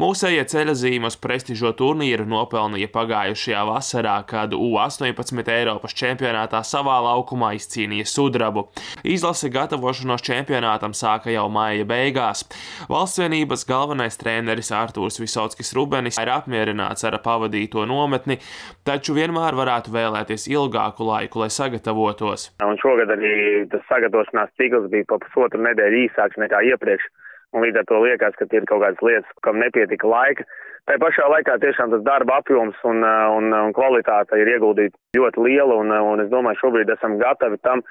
Mūsējie ceļazīme uz prestižo turnīru nopelnīja pagājušajā vasarā, kad U18 Eiropas čempionātā savā laukumā izcīnīja sudrabu. Izlase gatavošanos čempionātam sāka jau maija beigās. Valstsvienības galvenais treneris Artūrs Visockis-Rubenis ir apmierināts ar pavadīto nometni, taču vienmēr varētu vēlēties ilgāku laiku, lai sagatavotos. Un šogad arī tas sagatavošanās cikls bija pa pusotru nedēļu īsāks nekā iepriekš. Un līdz ar to liekas, ka ir kaut kādas lietas, kam nepietika laika. Tā pašā laikā tiešām tas darba apjoms un kvalitāte ir ieguldīta ļoti liela, un es domāju, šobrīd esam gatavi tam,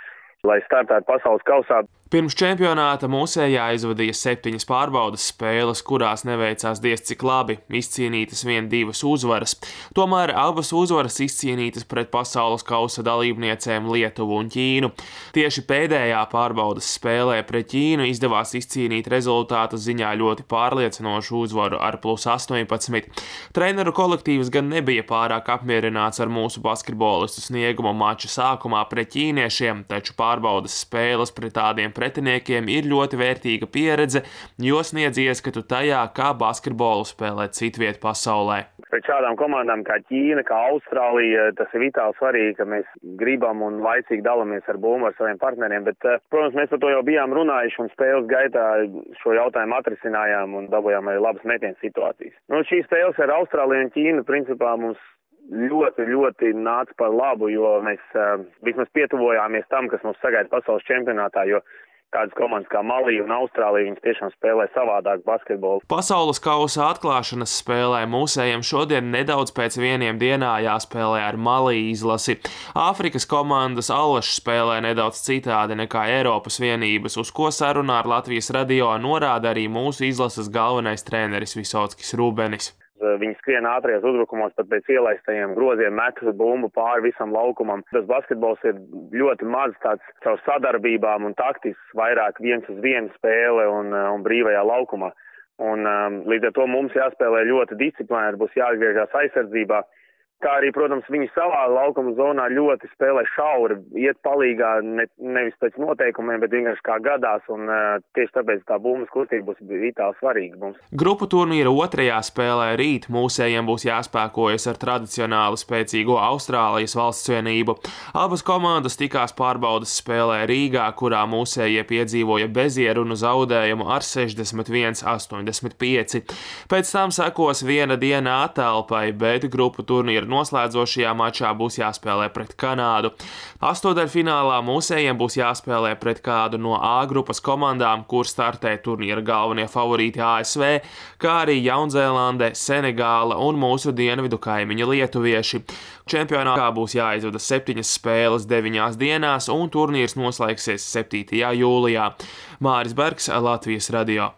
lai startētu pasaules kausā. Pirms čempionāta mūsējā aizvadīja 7 pārbaudes spēles, kurās neveicās diez cik labi, izcīnītas 1-2 uzvaras. Tomēr abas uzvaras izcīnītas pret pasaules kausa dalībniecēm Lietuvu un Ķīnu. Tieši pēdējā pārbaudes spēlē pret Ķīnu izdevās izcīnīt rezultātu ziņā ļoti pārliecinošu uzvaru ar +18. Treneru kolektīvs gan nebija pārāk apmierināts ar mūsu basketbolistu sniegumu mača sākumā pret ķīniešiem, taču pārbaudes spēles pret tādiem pretiniekiem ir ļoti vērtīga pieredze, jo sniedz ieskatu tajā, kā basketbolu spēlēt citviet pasaulē. Pret šādām komandām kā Ķīna, kā Austrālija, tas ir vitāli svarīgi, ka mēs gribam un laicīgi dalāmies ar bumbu ar saviem partneriem, bet, protams, mēs par to jau bijām runājuši un spēles gaitā šo jautājumu atrisinājām un dabūjām arī labas metienu situācijas. Šīs spēles ar Austrāliju un Ķīnu principā mums ļoti nāca par labu, jo mēs vismaz pietuvojāmies tam, kas mums sagaida pasaules čempionātā, jo tādas komandas kā Malija un Austrālija, viņas tiešām spēlē savādāk basketbolu. Pasaules kausa atklāšanas spēlē mūsējiem šodien nedaudz pēc 1 dienā jāspēlē ar Maliju izlasi. Āfrikas komandas Allašs spēlē nedaudz citādi nekā Eiropas vienības, uz ko sarunā ar Latvijas radio norāda arī mūsu izlases galvenais treneris Visockis-Rubenis. Viņi skrien ātrajos uzbrukumos, pat pēc ielaistajiem groziem met bumbu pāri visam laukumam. Tas basketbols ir ļoti maz tāds caur sadarbībām un taktisks, vairāk 1-uz-1 spēle un brīvajā laukumā. Un līdz ar to mums jāspēlē ļoti disciplinēti, būs jāatgriežas aizsardzībā. Kā arī, protams, viņi savā laukuma zonā ļoti spēlē šauri, iet palīgā nevis pēc noteikumiem, bet vienkārši kā gadās, un tieši tāpēc tā bumbas kustība būs vitāli svarīga mums. Grupu turnīra 2. spēlē rīt mūsējiem būs jāspēkojas ar tradicionāli spēcīgo Austrālijas valstsvienību. Abas komandas tikās pārbaudes spēlē Rīgā, kurā mūsējie piedzīvoja bezierunu zaudējumu ar 61-85. Pēc tam sekos 1 diena attelpai, bet grupu turnīra noslēdzošajā mačā būs jāspēlē pret Kanādu. Astodaļfinālā mūsējiem būs jāspēlē pret kādu no A grupas komandām, kur startē turnīra galvenie favorīti ASV, kā arī Jaunzēlande, Senegāla un mūsu dienvidu kaimiņi lietuvieši. Čempionātā būs jāizvada 7 spēles 9 dienās, un turnīrs noslēgsies 7. jūlijā. Māris Bergs, Latvijas radio.